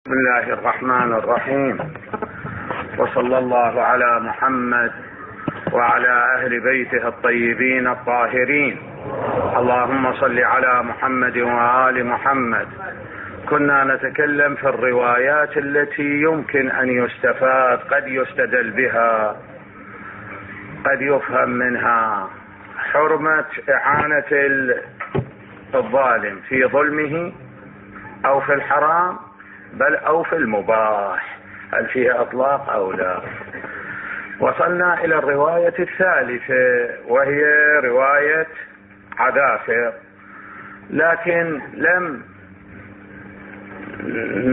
بسم الله الرحمن الرحيم، وصلى الله على محمد وعلى أهل بيته الطيبين الطاهرين. اللهم صل على محمد وآل محمد. كنا نتكلم في الروايات التي يمكن أن يستفاد، قد يستدل بها، قد يفهم منها حرمة إعانة الظالم في ظلمه أو في الحرام بل أو في المباح، هل فيها إطلاق أو لا. وصلنا إلى الرواية الثالثة وهي رواية عذافر، لكن لم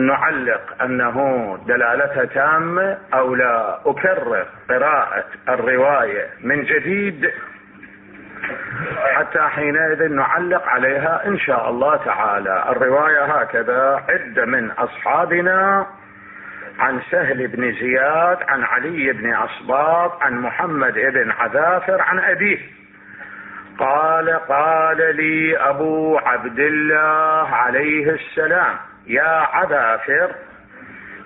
نعلق أنه دلالتها تامة أو لا. أكرر قراءة الرواية من جديد حتى حينئذ نعلق عليها إن شاء الله تعالى. الرواية هكذا: عدة من أصحابنا عن سهل بن زياد عن علي بن أصباط عن محمد بن عذافر عن أبيه قال لي أبو عبد الله عليه السلام: يا عذافر،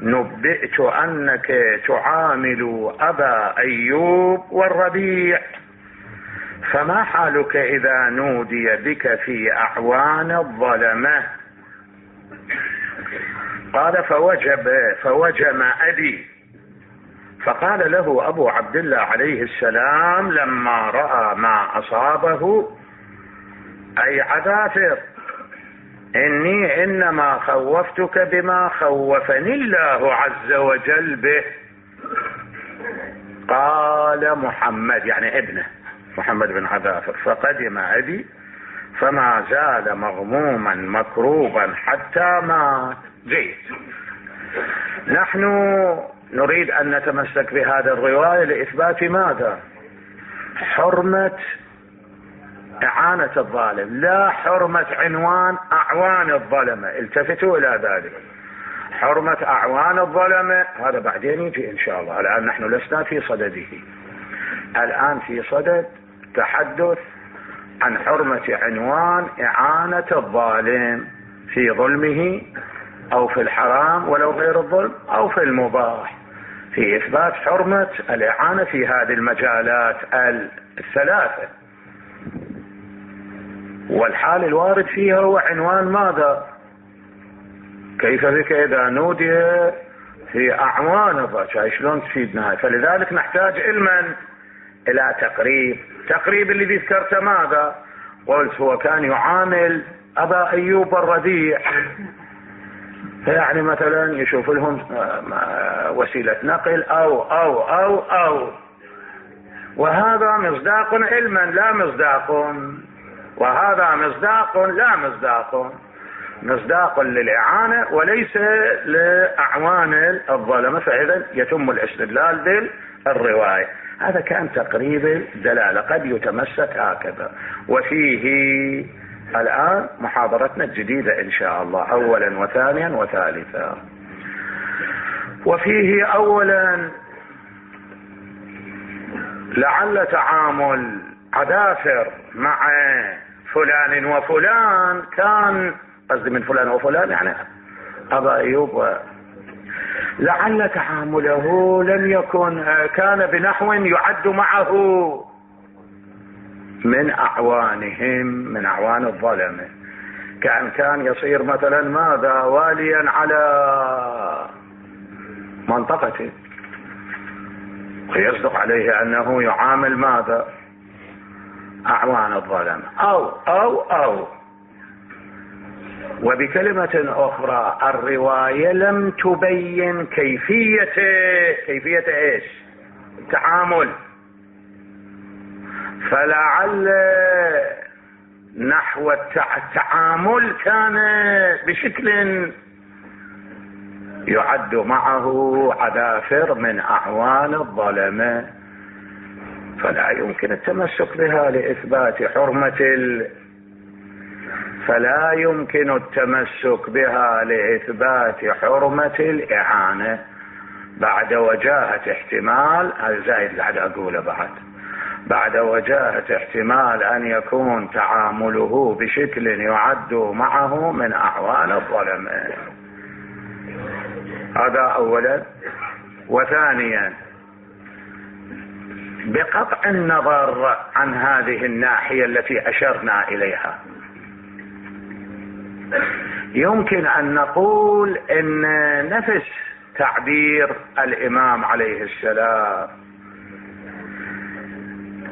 نبئت أنك تعامل أبا أيوب والربيع، فما حالك إذا نودي بك في أعوان الظلمة؟ قال: فوجم أبي. فقال له أبو عبد الله عليه السلام لما رأى ما أصابه: أي عذافر، إني إنما خوفتك بما خوفني الله عز وجل به. قال محمد، يعني ابنه محمد بن عذافر: فقدم أبي فما زال مغموما مكروبا حتى مات. جيد. نحن نريد أن نتمسك بهذه الرواية لإثبات ماذا؟ حرمة إعانة الظالم، لا حرمة عنوان أعوان الظلمة. التفتوا إلى ذلك. حرمة أعوان الظلمة هذا بعدين يجي إن شاء الله. الآن نحن لسنا في صدده، الآن في صدد تحدث عن حرمة عنوان إعانة الظالم في ظلمه أو في الحرام ولو غير الظلم أو في المباح، في إثبات حرمة الإعانة في هذه المجالات الثلاثة. والحال الوارد فيها هو عنوان ماذا؟ كيف بك إذا نودي في أعوان الظلم؟ شلون تفيدنا؟ فلذلك نحتاج علما إلى تقريب اللي ذكرته ماذا؟ قلت هو كان يعامل أبا أيوب الربيع، يعني مثلا يشوف لهم وسيلة نقل أو وهذا مصداق علما لا مصداق، وهذا مصداق لا مصداق، مصداق للإعانة وليس لأعوان الظلمة، فإذا يتم الاستدلال بالرواية. هذا كان تقريب الدلالة، قد يتمسك هكذا. وفيه الآن محاضرتنا الجديدة إن شاء الله، أولا وثانيا وثالثا. وفيه أولا لعل تعامل عذافر مع فلان وفلان كان، قصدي من فلان وفلان يعني أبا أيوب، لعل تعامله لم يكن كان بنحو يعد معه من أعوانهم، من أعوان الظلمة. كان يصير مثلا ماذا؟ واليا على منطقته، ويصدق عليه أنه يعامل ماذا؟ أعوان الظلمة أو وبكلمة أخرى الرواية لم تبين كيفية إيش؟ التعامل. فلعل نحو التعامل كان بشكل يعد معه عذافر من أعوان الظلمة، فلا يمكن التمسك بها لإثبات حرمة فلا يمكن التمسك بها لإثبات حرمة الإعانة بعد وجاهة احتمال الزائد قاعد أقوله بعد وجاهة احتمال أن يكون تعامله بشكل يعد معه من أعوان الظلمة. هذا اولا. وثانيا بقطع النظر عن هذه الناحية التي اشرنا اليها، يمكن ان نقول ان نفس تعبير الامام عليه السلام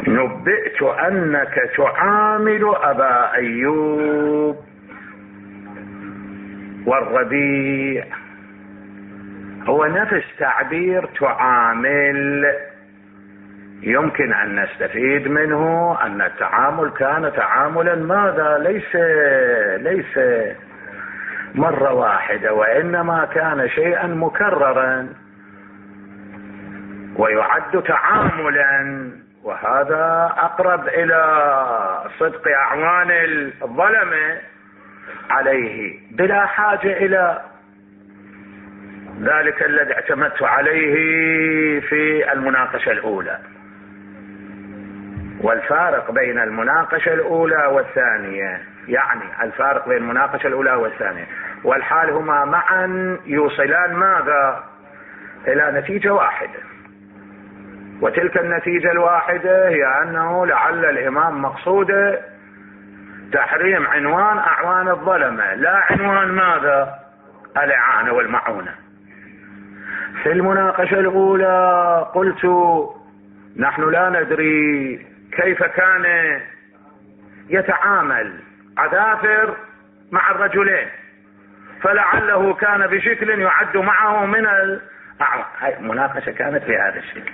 نبئت انك تعامل ابا ايوب والربيع هو نفس تعبير تعامل. يمكن ان نستفيد منه ان التعامل كان تعاملا ماذا؟ ليس مرة واحدة، وانما كان شيئا مكررا ويعد تعاملا، وهذا اقرب الى صدق اعوان الظلمة عليه بلا حاجة الى ذلك الذي اعتمدت عليه في المناقشة الاولى. والفارق بين المناقشة الاولى والثانية، يعني الفارق بين المناقشة الاولى والثانية والحال هما معا يوصلان ماذا؟ الى نتيجة واحدة، وتلك النتيجة الواحدة هي انه لعل الامام مقصوده تحريم عنوان اعوان الظلمة، لا عنوان ماذا؟ الاعانة والمعونة. في المناقشة الاولى قلت نحن لا ندري كيف كان يتعامل عذافر مع الرجلين، فلعله كان بشكل يعد معه من الاعوان. هاي المناقشة كانت بهذا الشكل.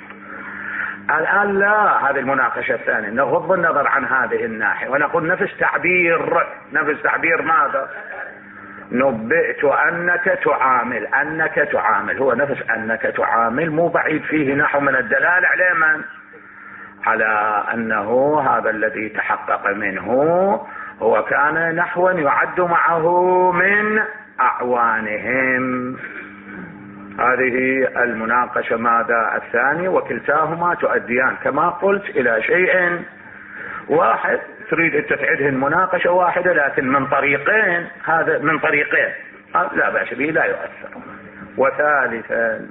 الآن لا، هذه المناقشة الثانية نغض النظر عن هذه الناحية ونقول نفس تعبير ماذا؟ نبئت أنك تعامل هو نفس أنك تعامل، مو بعيد فيه نحو من الدلالة على من؟ على أنه هذا الذي تحقق منه هو كان نحوا يعد معه من أعوانهم. هذه المناقشة ماذا؟ الثانية. وكلتاهما تؤديان كما قلت إلى شيء واحد. تريد أن تعيدهن مناقشة واحدة لكن من طريقين، هذا من طريقين لا بأس به، لا يؤثر. وثالثا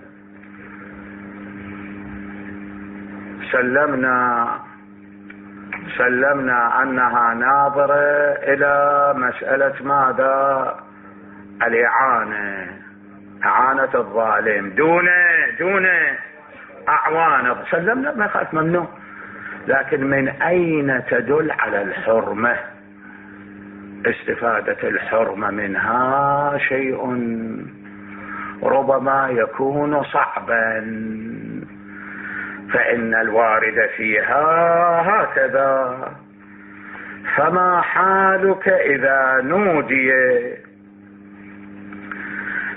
سلمنا أنها ناظرة إلى مسألة ماذا؟ الإعانة، إعانة الظالم دون أعوان. سلمنا، ما خالف، ممنوع. لكن من أين تدل على الحرمة؟ استفادة الحرمة منها شيء ربما يكون صعبا، فإن الوارد فيها هكذا. فما حالك إذا نودي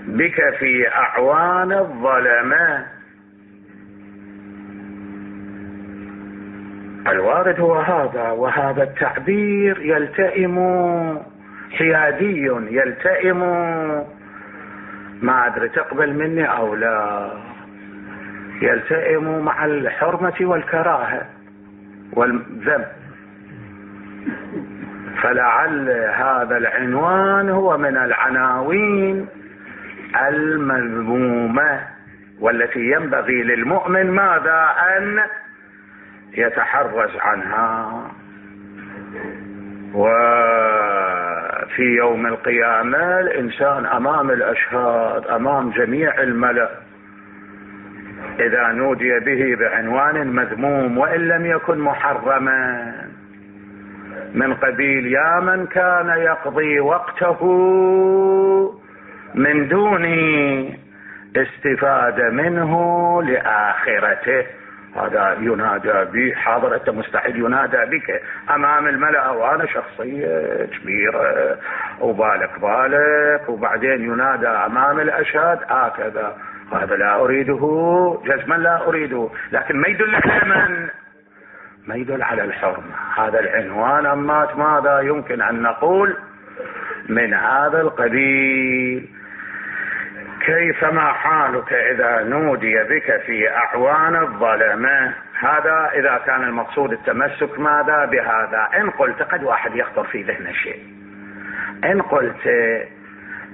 بك في أعوان الظلمة؟ الوارد هو هذا، وهذا التعبير يلتئم حيادي، يلتئم، ما أدري تقبل مني أو لا، يلتئم مع الحرمة والكراهة والذنب. فلعل هذا العنوان هو من العناوين المذمومة والتي ينبغي للمؤمن ماذا؟ أن يتحرز عنها. وفي يوم القيامة الإنسان أمام الأشهاد، أمام جميع الملأ، إذا نودي به بعنوان مذموم وإن لم يكن محرما، من قبيل يا من كان يقضي وقته من دون استفادة منه لآخرته، هذا ينادى به حاضر، أنت مستعد ينادى بك أمام الملأ وأنا شخصية كبيرة وبالك وبعدين ينادى أمام الأشهاد هكذا. هذا لا أريده جزما، لا أريده. لكن ما يدل على من؟ ما يدل على الحرمة. هذا العنوان أمات ماذا؟ يمكن أن نقول من هذا القبيل. كيفما حالك إذا نودي بك في أعوان الظلمة؟ هذا إذا كان المقصود التمسك ماذا بهذا. إن قلت، قد واحد يخطر في ذهن شيء، إن قلت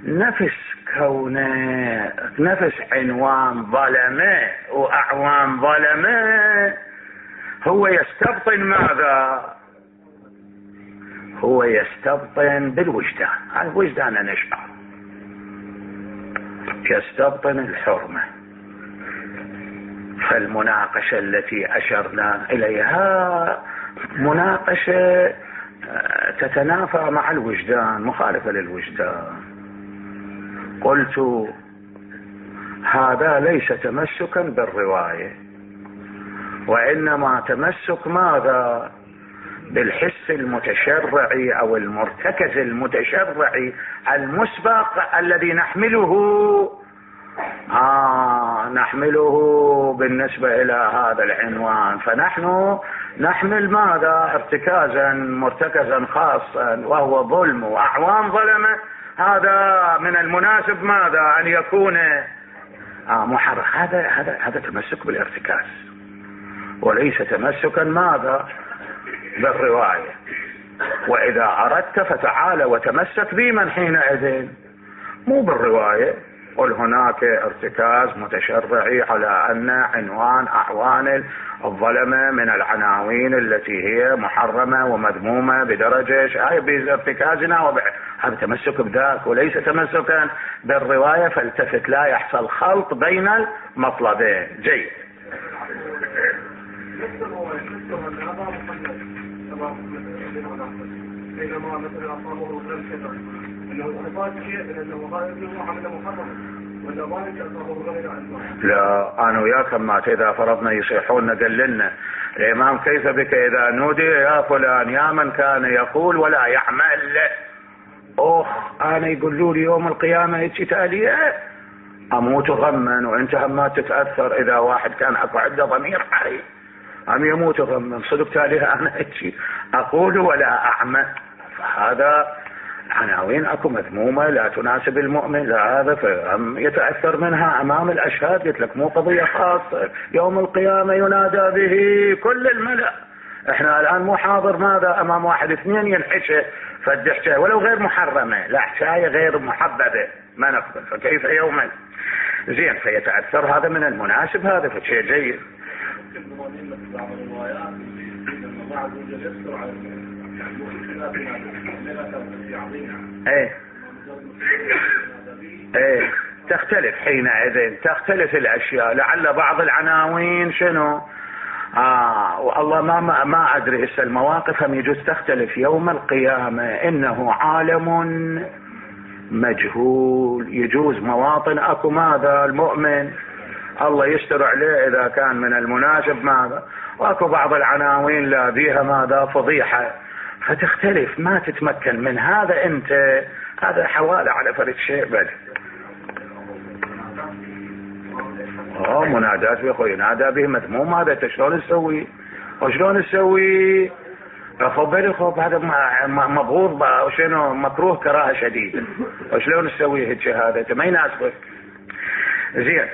نفس كونه نفس عنوان ظلمه واعوان ظلمه هو يستبطن ماذا؟ هو يستبطن بالوجدان. الوجدان نشعر يستبطن الحرمة. فالمناقشة التي أشرنا إليها مناقشة تتنافى مع الوجدان، مخالفة للوجدان. قلت هذا ليس تمسكا بالرواية، وإنما تمسك ماذا؟ بالحس المتشرعي أو المرتكز المتشرعي المسبق الذي نحمله بالنسبة إلى هذا العنوان. فنحن نحمل ماذا؟ ارتكازا مرتكزا خاصا وهو ظلم وأعوان ظلمة. هذا من المناسب ماذا؟ أن يكون محرر. هذا تمسك بالارتكاز وليس تمسكا ماذا؟ بالرواية. وإذا أردت فتعال وتمسك بمن حينئذ، مو بالرواية. قل هناك ارتكاز متشرعي على أن عنوان أعوان الظلمة من العناوين التي هي محرمة ومذمومة بدرجة بارتكازنا هذا تمسك بذاك وليس تمسكا بالرواية. فالتفت لا يحصل خلط بين المطلبين. جيد. بينما مثلا أصابه غير كذا أنه أصاب شيء من أنه هذا ابنه عمل محرم ولا ذلك أصابه غير عنه. لا أنا وياكم ما إذا فرضنا يصيحون دللنا الإمام كيف بك إذا نودي يا فلان يا من كان يقول ولا يعمل. أنا يقولوا لي يوم القيامة هيك تالية أموت غما وأنت هم ما تتأثر. إذا واحد كان أكو عنده ضمير حي أم يموت غما صدق تاليها أنا هيك أقول ولا أعمل. فهذا عناوين أكو مذمومة لا تناسب المؤمن. لا هذا فهم يتأثر منها أمام الأشهاد. قلت لك مو قضية خاصة. يوم القيامة ينادى به كل الملأ. احنا الآن مو حاضر ماذا أمام واحد اثنين ينحشه فالدحشة ولو غير محرمة، لا حشاية غير محببة ما نقبل. فكيف يوما زين فيتأثر. هذا من المناسب. هذا فشيء جيد. ايه تختلف حينئذ تختلف الاشياء. لعل بعض العناوين شنو والله ما ادري هسه المواقف هم يجوز تختلف يوم القيامة. انه عالم مجهول. يجوز مواطن اكو ماذا المؤمن الله يستر عليه اذا كان من المناسب ماذا، واكو بعض العناوين لا بيها ماذا فضيحة فتختلف ما تتمكن من هذا. انت هذا حوالي على فرد شيء بل منادات بأخوي ينادى به مذموم. هذا شلون نسوي وشلون نسوي؟ خب هذا مبغوض وشنو مكروه كراهة شديدة. وشلون نسوي هيك؟ هذا ما يناسبك. زين.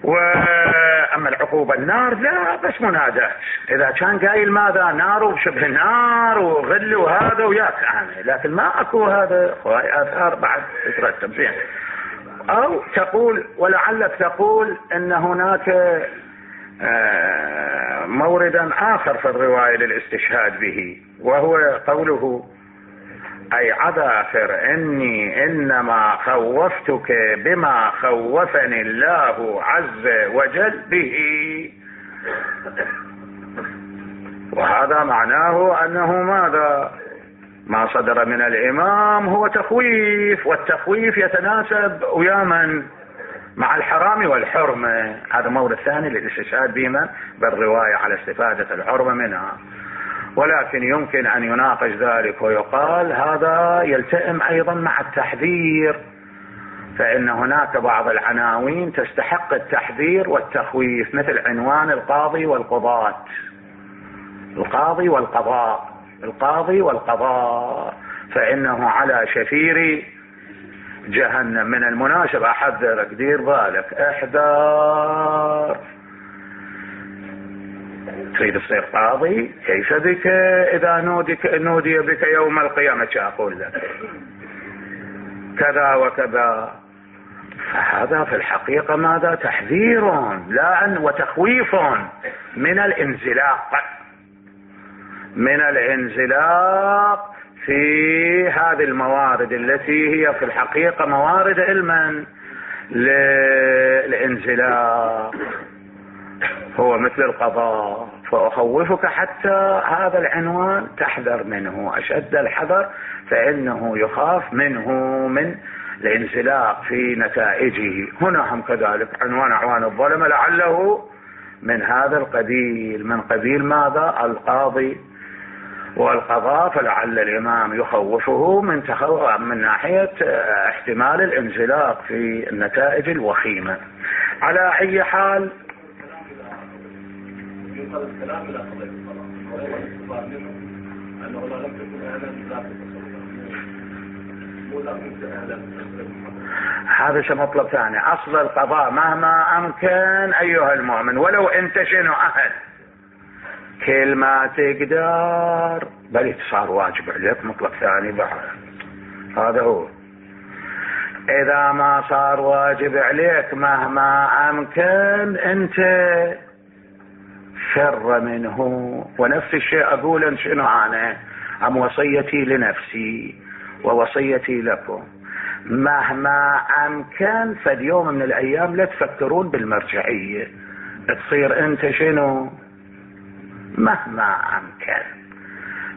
واما العقوبة النار لا بس منادات. اذا كان قايل ماذا نار وشبه نار وغل وهذا وياك لكن ما اكو هذا اثار بعد تترتب. زين. او تقول ولعلك تقول ان هناك موردا اخر في الرواية للاستشهاد به، وهو قوله اي عذاكر اني انما خوفتك بما خوفني الله عز وجل به. وهذا معناه انه ماذا؟ ما صدر من الامام هو تخويف، والتخويف يتناسب ويا من؟ مع الحرام والحرمة. هذا مورد ثاني للاستشهاد بما بالرواية على استفادة الحرمة منها. ولكن يمكن ان يناقش ذلك ويقال هذا يلتئم ايضا مع التحذير، فان هناك بعض العناوين تستحق التحذير والتخويف مثل عنوان القاضي والقضاة. القاضي والقضاء، القاضي والقضاء فانه على شفير جهنم. من المناسب احذرك دير بالك احذر. تريد تصير قاضي كيف بك اذا نودي بك يوم القيامة؟ اقول لك كذا وكذا فهذا في الحقيقة ماذا؟ تحذير وتخويف من الانزلاق في هذه الموارد التي هي في الحقيقة موارد علما للانزلاق، هو مثل القضاء. فأخوفك حتى هذا العنوان تحذر منه أشد الحذر، فإنه يخاف منه من الانزلاق في نتائجه. هنا هم كذلك عنوان أعوان الظلمة لعله من هذا القبيل، من قبيل ماذا؟ القاضي والقضاء. فلعل الإمام يخوفه من ناحية احتمال الانزلاق في النتائج الوخيمة. على أي حال ينقل الكلام الى قضيه الصلاه وهو الاستفاد منه انه لا لم تكن اهلا لا هذا شيء مطلب ثاني. اصل القضاء مهما امكن ايها المؤمن ولو انت شنو اهل، كل ما تقدر بل صار واجب عليك مطلب ثاني بعد. هذا هو. اذا ما صار واجب عليك مهما امكن انت فر منه. ونفس الشيء اقول شنو انا عن وصيتي لنفسي ووصيتي لكم، مهما امكن فاليوم من الايام لا تفكرون بالمرجعية، تصير انت شنو مهما امكن،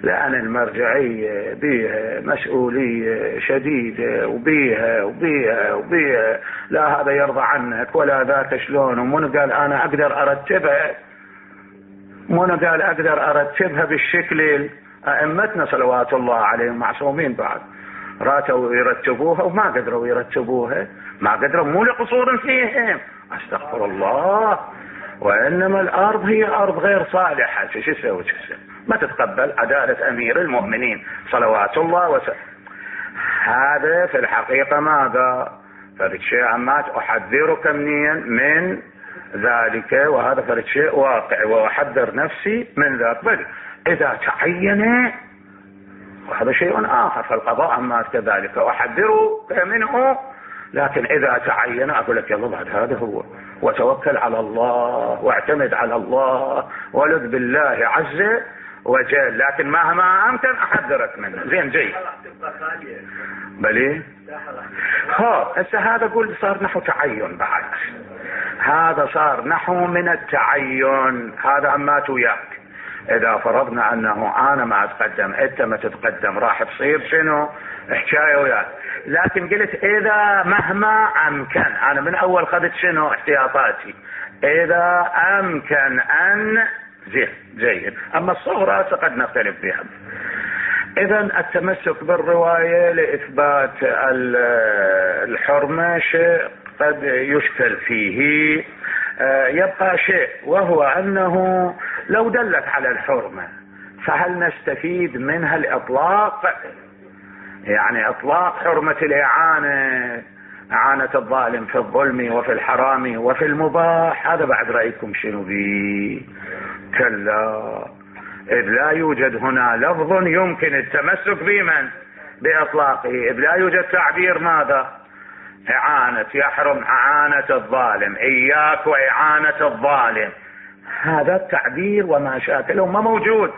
لان المرجعية بيها مسؤولية شديدة وبيها لا هذا يرضى عنك ولا ذاك شلون، ومن قال انا اقدر ارتبها بالشكل. ائمتنا صلوات الله عليهم معصومين بعد راتوا يرتبوها وما قدروا يرتبوها، ما قدروا مو لقصور فيهم، استغفر الله، وانما الارض هي ارض غير صالحة. شو يسوي؟ ما تتقبل عدالة امير المؤمنين صلوات الله وسلم. هذا في الحقيقة ماذا؟ فرد شيء عمات احذرك من ذلك، وهذا فرد شيء واقع واحذر نفسي من ذلك. بل اذا تعين وهذا شيء اخر، فالقضاء عمات كذلك احذرك منه، لكن اذا تعين اقول لك يلا بعد هذا هو، وتوكل على الله واعتمد على الله ولذ بالله عز وجل، لكن مهما امكن احذرك منه. زين جيد. بلي هسه هذا قول صار نحو تعين بعد، هذا صار نحو من التعين. هذا عمات وياك، اذا فرضنا انه انا ما اتقدم انت ما تتقدم راح تصير شنو حكايه وياك. لكن قلت اذا مهما امكن، انا من اول خذت شنو احتياطاتي، اذا امكن ان جيد. اما الصغرى قد نختلف بها. اذا التمسك بالرواية لاثبات الحرمة شيء قد يشكل فيه. يبقى شيء وهو انه لو دلت على الحرمة فهل نستفيد منها الاطلاق؟ يعني اطلاق حرمة الاعانة، اعانة الظالم في الظلم وفي الحرام وفي المباح، هذا بعد رأيكم شنو بيه؟ كلا، إذ لا يوجد هنا لفظ يمكن التمسك بمن بإطلاقه، إذ لا يوجد تعبير ماذا؟ إعانة، يحرم إعانة الظالم، إياك وإعانة الظالم، هذا التعبير وما شاكله ما موجود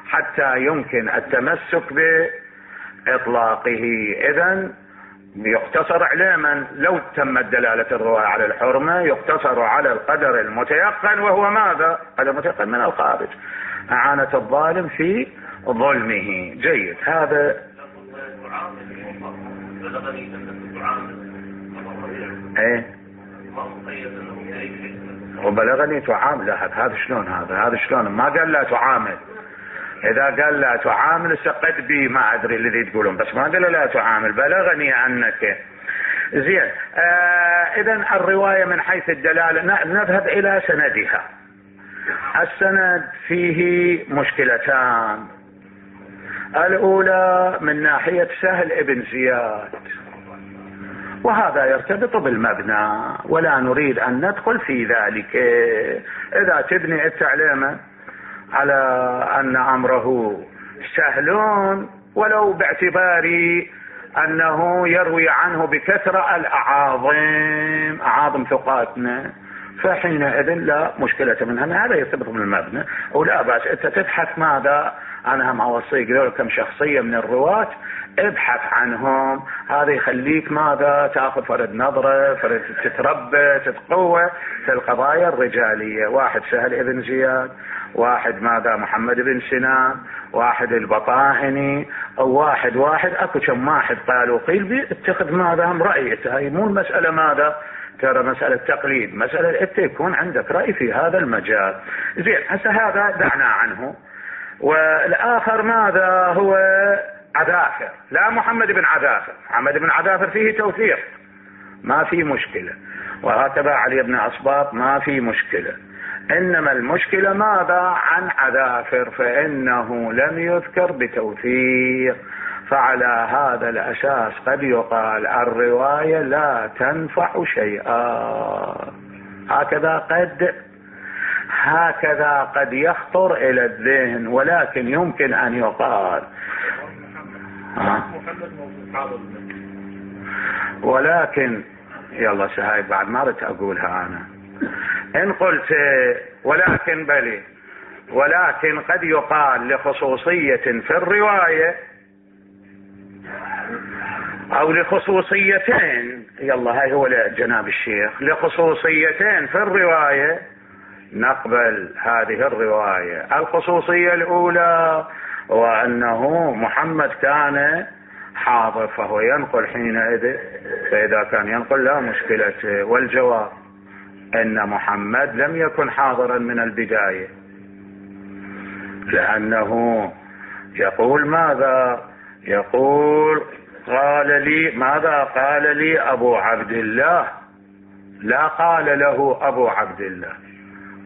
حتى يمكن التمسك بإطلاقه. إذن يقتصر على من لو تمت دلالة الرواية على الحرمة يقتصر على القدر المتيقن، وهو ماذا؟ قدر متيقن من الخارج، اعانة الظالم في ظلمه. جيد. هذا ايه وبلغني تعامل. هذا شلون؟ هذا شلون؟ ما قال لا تعامل. اذا قال لا تعامل سقد بي ما ادري الذي تقولون، بس ما قال لا تعامل، بلغني انك. زين. اذا الرواية من حيث الدلالة نذهب الى سندها. السند فيه مشكلتان. الاولى من ناحية سهل ابن زياد، وهذا يرتبط بالمبنى ولا نريد ان ندخل في ذلك. اذا تبني التعليم على ان امره سهلون ولو باعتبار انه يروي عنه بكثرة الاعاظم، اعاظم ثقاتنا، فحينئذ لا مشكلة منها، هذا يثبت من المبنى ولا بأس. انت تبحث ماذا، انا هم اوصيك ذول كم شخصية من الرواة ابحث عنهم، هذا يخليك ماذا تاخذ فرد نظرة، فرد تتربى تتقوى في القضايا الرجالية. واحد سهل ابن زياد، واحد ماذا محمد بن سنان، واحد البطاهني، او واحد اكو كم واحد قالوا قيل اتخذ ماذا هم رأيك. هاي مو المسألة ماذا ترى مسألة تقليد، مسألة انت يكون عندك رأي في هذا المجال. زين هسه هذا دعنا عنه. والاخر ماذا هو عذافر، لا محمد بن عذافر، محمد بن عذافر فيه توثيق ما في مشكلة، وهكذا علي بن أصباط ما في مشكلة، انما المشكلة ماذا عن عذافر فانه لم يذكر بتوثيق، فعلى هذا الاساس قد يقال الرواية لا تنفع شيئا. هكذا قد يخطر الى الذهن، ولكن يمكن ان يقال ولكن يلا سهاي بعد ما رت اقولها انا ان قلت ولكن بلي، ولكن قد يقال لخصوصية في الرواية او لخصوصيتين، يلا هاي هو جناب الشيخ، لخصوصيتين في الرواية نقبل هذه الرواية. الخصوصية الاولى وانه محمد كان حاضر فهو ينقل حينئذ، فاذا كان ينقل لا مشكلة. والجواب ان محمد لم يكن حاضرا من البداية، لانه يقول ماذا، يقول قال لي ماذا، قال لي ابو عبد الله، لا قال له ابو عبد الله،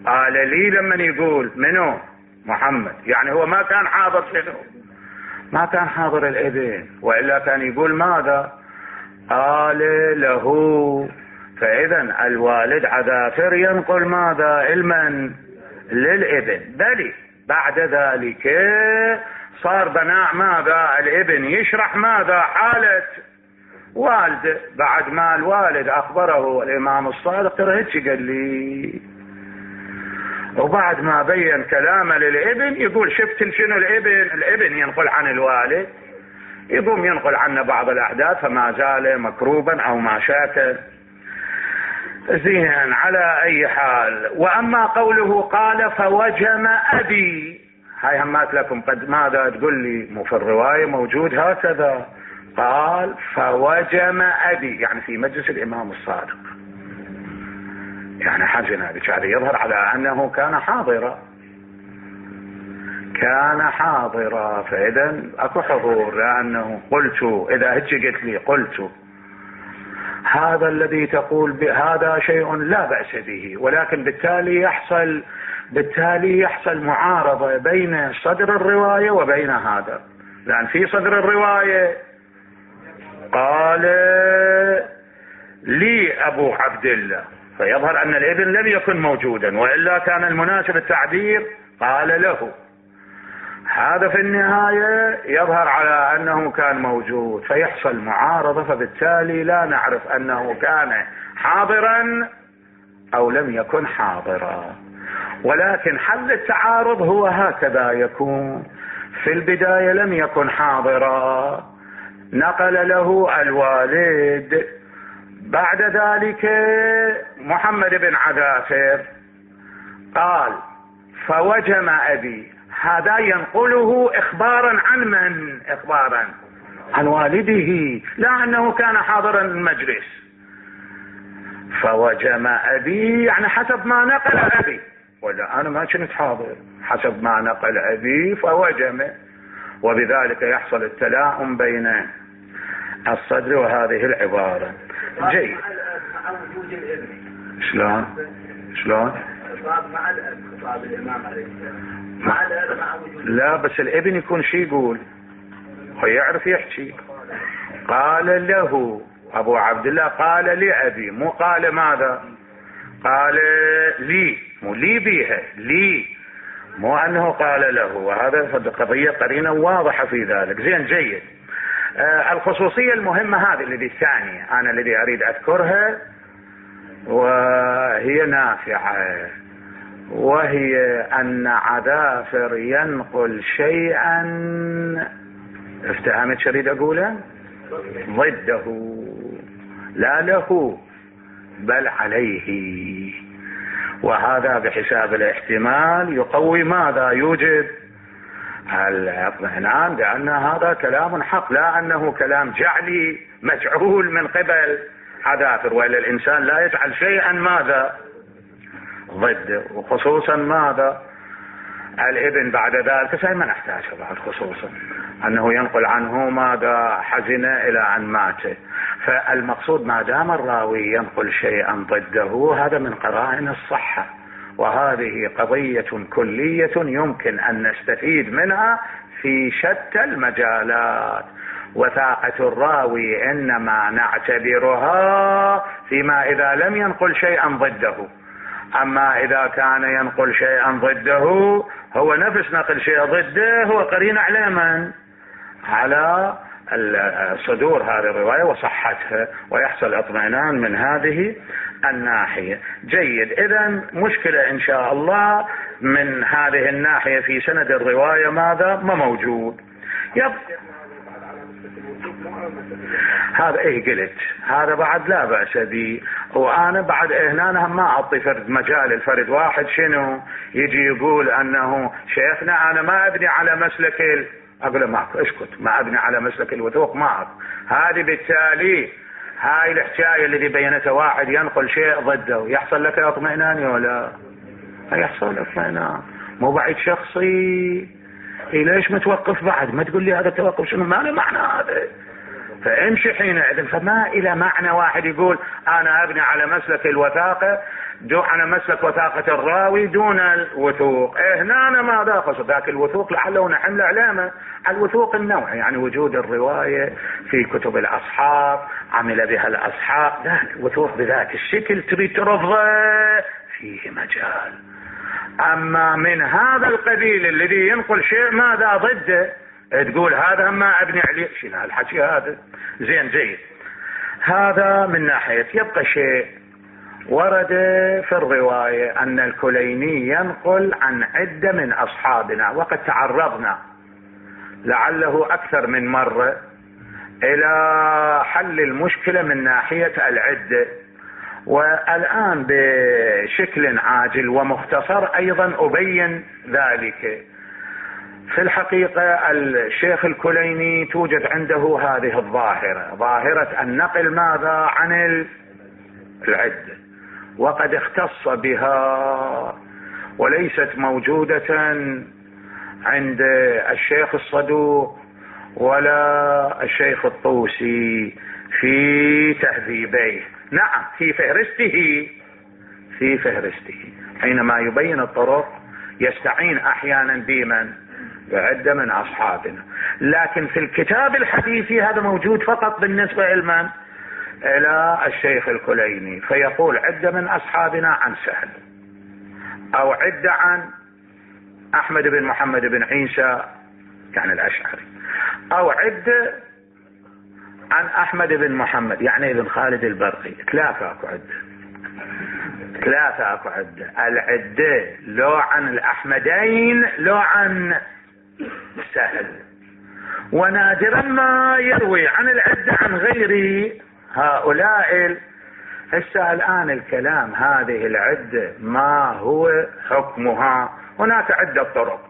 قال لي لما يقول منو محمد، يعني هو ما كان حاضر شنو، ما كان حاضر الابن، وإلا كان يقول ماذا قال له. فإذا الوالد عذافر ينقل ماذا علما للابن، بل بعد ذلك صار بناء ماذا الابن يشرح ماذا حالة والد، بعد ما الوالد أخبره الإمام الصادق ترى هيك قال لي، وبعد ما بين كلامه للابن يقول شفت شنو الابن ينقل عن الوالد، يقوم ينقل عنه بعض الأحداث فما زال مكروبا أو ما شاكل. زين على أي حال. وأما قوله قال فوجم أبي، هاي همات لكم قد ماذا تقول لي مو في الرواية موجود هكذا، قال فوجم أبي يعني في مجلس الإمام الصادق، يعني حاجنا بك هذا يظهر على أنه كان حاضرا، فإذا أكو حضور، لأنه قلت إذا هيك قلت لي قلت هذا الذي تقول بهذا شيء لا بأس به، ولكن بالتالي يحصل معارضة بين صدر الرواية وبين هذا، لأن في صدر الرواية قال لي أبو عبد الله، فيظهر أن الابن لم يكن موجودا، وإلا كان المناسب التعبير قال له. هذا في النهاية يظهر على أنه كان موجود، فيحصل معارضة، فبالتالي لا نعرف أنه كان حاضرا أو لم يكن حاضرا. ولكن حل التعارض هو هكذا يكون، في البداية لم يكن حاضرا، نقل له الوالد، بعد ذلك محمد بن عذافر قال فوجم أبي، هذا ينقله إخبارا عن من؟ إخبارا عن والده، لا أنه كان حاضرا المجلس. فوجم أبي يعني حسب ما نقل أبي، ولا أنا ما كنت حاضر، حسب ما نقل أبي فوجم، وبذلك يحصل التلاؤم بين الصدر وهذه العبارة. جيد. مع وجود الابن شلون مع الاب خطاب الامام عليه السلام مع الاب مع وجود، لا بس الابن يكون شي يقول، هو يعرف يحكي. قال له ابو عبد الله قال لأبي، مو قال ماذا، قال لي، مو لي بيها لي، مو انه قال له، وهذا قضية قرينة واضحة في ذلك. زين جيد. الخصوصية المهمة هذه الذي الثانية أنا الذي أريد أذكرها، وهي نافعة، وهي أن عذافر ينقل شيئا، افتهمت شو أريد أقوله؟ ضده، لا له بل عليه، وهذا بحساب الاحتمال يقوي ماذا؟ يوجب الاطمئنان بأن هذا كلام حق، لا أنه كلام جعلي مجعول من قبل عذافر، وإلا الإنسان لا يجعل شيئا ماذا؟ ضده، وخصوصا ماذا؟ الابن بعد ذلك ما نحتاج بعد، خصوصا أنه ينقل عنه ماذا؟ حزن إلى أن مات. فالمقصود ما دام الراوي ينقل شيئا ضده هذا من قرائن الصحة، وهذه قضية كلية يمكن أن نستفيد منها في شتى المجالات. وثاقة الراوي إنما نعتبرها فيما إذا لم ينقل شيئا ضده، أما إذا كان ينقل شيئا ضده هو نفس نقل شيء ضده هو قرين على من؟ على صدور هذه الرواية وصحتها، ويحصل اطمئنان من هذه الناحية. جيد، إذن مشكلة إن شاء الله من هذه الناحية في سند الرواية ماذا؟ ما موجود. هذا قلت هذا بعد لا بأس به، وأنا بعد هنا ما أعطي فرد مجال الفرد واحد شنو يجي يقول أنه شيخنا أنا ما أبني على مسلك أقول معك اسكت، ما أبني على مسلك الوثوق معك. هذه بالتالي هاي الحكاية الذي بينتها واحد ينقل شيء ضده يحصل لك اطمئنان ولا يحصل اطمئنان؟ مو بعيد شخصي. ليش متوقف بعد؟ ما تقول لي هذا التوقف شنو؟ ما له معنى هذا. فامشي حينئذ، فما إلى معنى واحد يقول أنا أبني على مسلك الوثاقة على مسلك وثاقة الراوي دون الوثوق. هنا أنا ما داخل ذاك الوثوق لعله نحمل علامة على الوثوق النوعي، يعني وجود الرواية في كتب الأصحاب عمل بها الأصحاب، ذاك وثوق بذاك الشكل تريد ترفضه فيه مجال. أما من هذا القبيل الذي ينقل شيء ماذا ضده تقول هذا ما أبني عليه، شنو الحكي هذا؟ زين جيد، هذا من ناحية. يبقى شيء ورد في الرواية أن الكليني ينقل عن عدة من أصحابنا، وقد تعرضنا لعله أكثر من مرة إلى حل المشكلة من ناحية العدة، والآن بشكل عاجل ومختصر أيضا أبين ذلك. في الحقيقة الشيخ الكليني توجد عنده هذه الظاهرة، ظاهرة النقل ماذا؟ عن العدة، وقد اختص بها وليست موجودة عند الشيخ الصدوق ولا الشيخ الطوسي في تهذيبيه. نعم في فهرسته حينما يبين الطرق يستعين احيانا بمن؟ بعدة من اصحابنا، لكن في الكتاب الحديثي هذا موجود فقط بالنسبة لمن؟ الى الشيخ الكليني، فيقول عدة من اصحابنا عن سهل، او عدة عن احمد بن محمد بن عيسى يعني الاشعري، او عدة عن احمد بن محمد يعني ابن خالد البرقي. ثلاثة اكو عدة. العدة لو عن الاحمدين لو عن سهل، ونادرا ما يروي عن العدة عن غير هؤلاء. هسه الآن الكلام هذه العدة ما هو حكمها؟ هناك عدة طرق.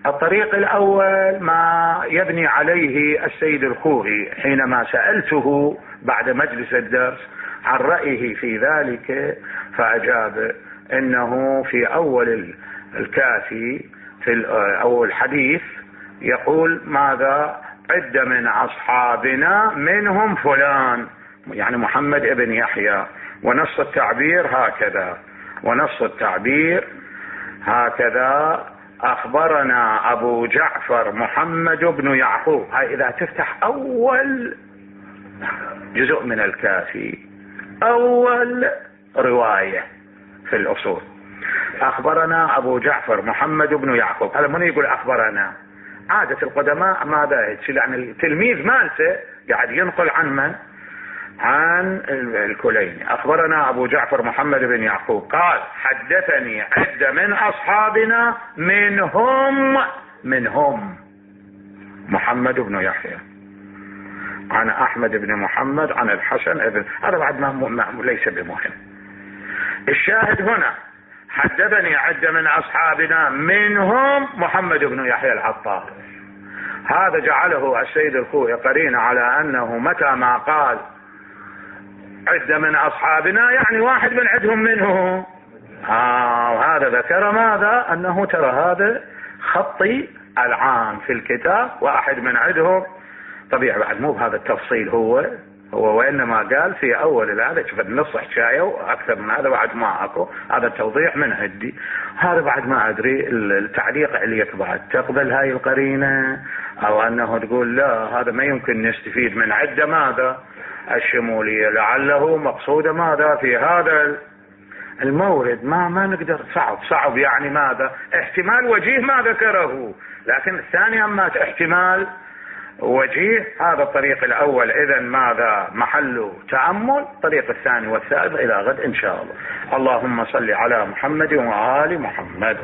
الطريق الأول ما يبني عليه السيد الخوئي حينما سألته بعد مجلس الدرس عن رأيه في ذلك، فأجاب إنه في أول الكافي في أول الحديث يقول ماذا؟ عدة من أصحابنا منهم فلان يعني محمد ابن يحيى، ونص التعبير هكذا أخبرنا أبو جعفر محمد بن يعقوب. هاي إذا تفتح أول جزء من الكافي أول رواية في الأصول، أخبرنا أبو جعفر محمد بن يعقوب. هذا من يقول أخبرنا؟ عادة القدماء ماذا يعني التلميذ مالته قاعد ينقل عن من؟ عن الكليني. اخبرنا ابو جعفر محمد بن يعقوب قال حدثني عدة من اصحابنا منهم محمد بن يحيى عن احمد بن محمد عن الحسن ابن، هذا بعد ما ليس بمهم. الشاهد هنا حدثني عدة من اصحابنا منهم محمد بن يحيى العطار. هذا جعله السيد الخوئي قرين على انه متى ما قال عدة من اصحابنا يعني واحد من عدهم منه. وهذا ذكر ماذا؟ انه ترى هذا خطي العام في الكتاب واحد من عدهم. طبيعي بعد مو بهذا التفصيل هو وانما قال في اول هذا شوف النص حكايه واكثر من هذا بعد ما اكو. هذا التوضيح من هدي. هذا بعد ما ادري التعليق عليك بعد تقبل هاي القرينه او انه تقول لا هذا ما يمكن نستفيد من عده ماذا الشموليه، لعله مقصوده ماذا في هذا المورد. ما نقدر، صعب يعني ماذا احتمال وجيه ما ذكره، لكن الثاني اما احتمال وجيه. هذا الطريق الاول اذا ماذا محل تأمل. الطريق الثاني والثالث الى غد ان شاء الله. اللهم صل على محمد وآل محمد.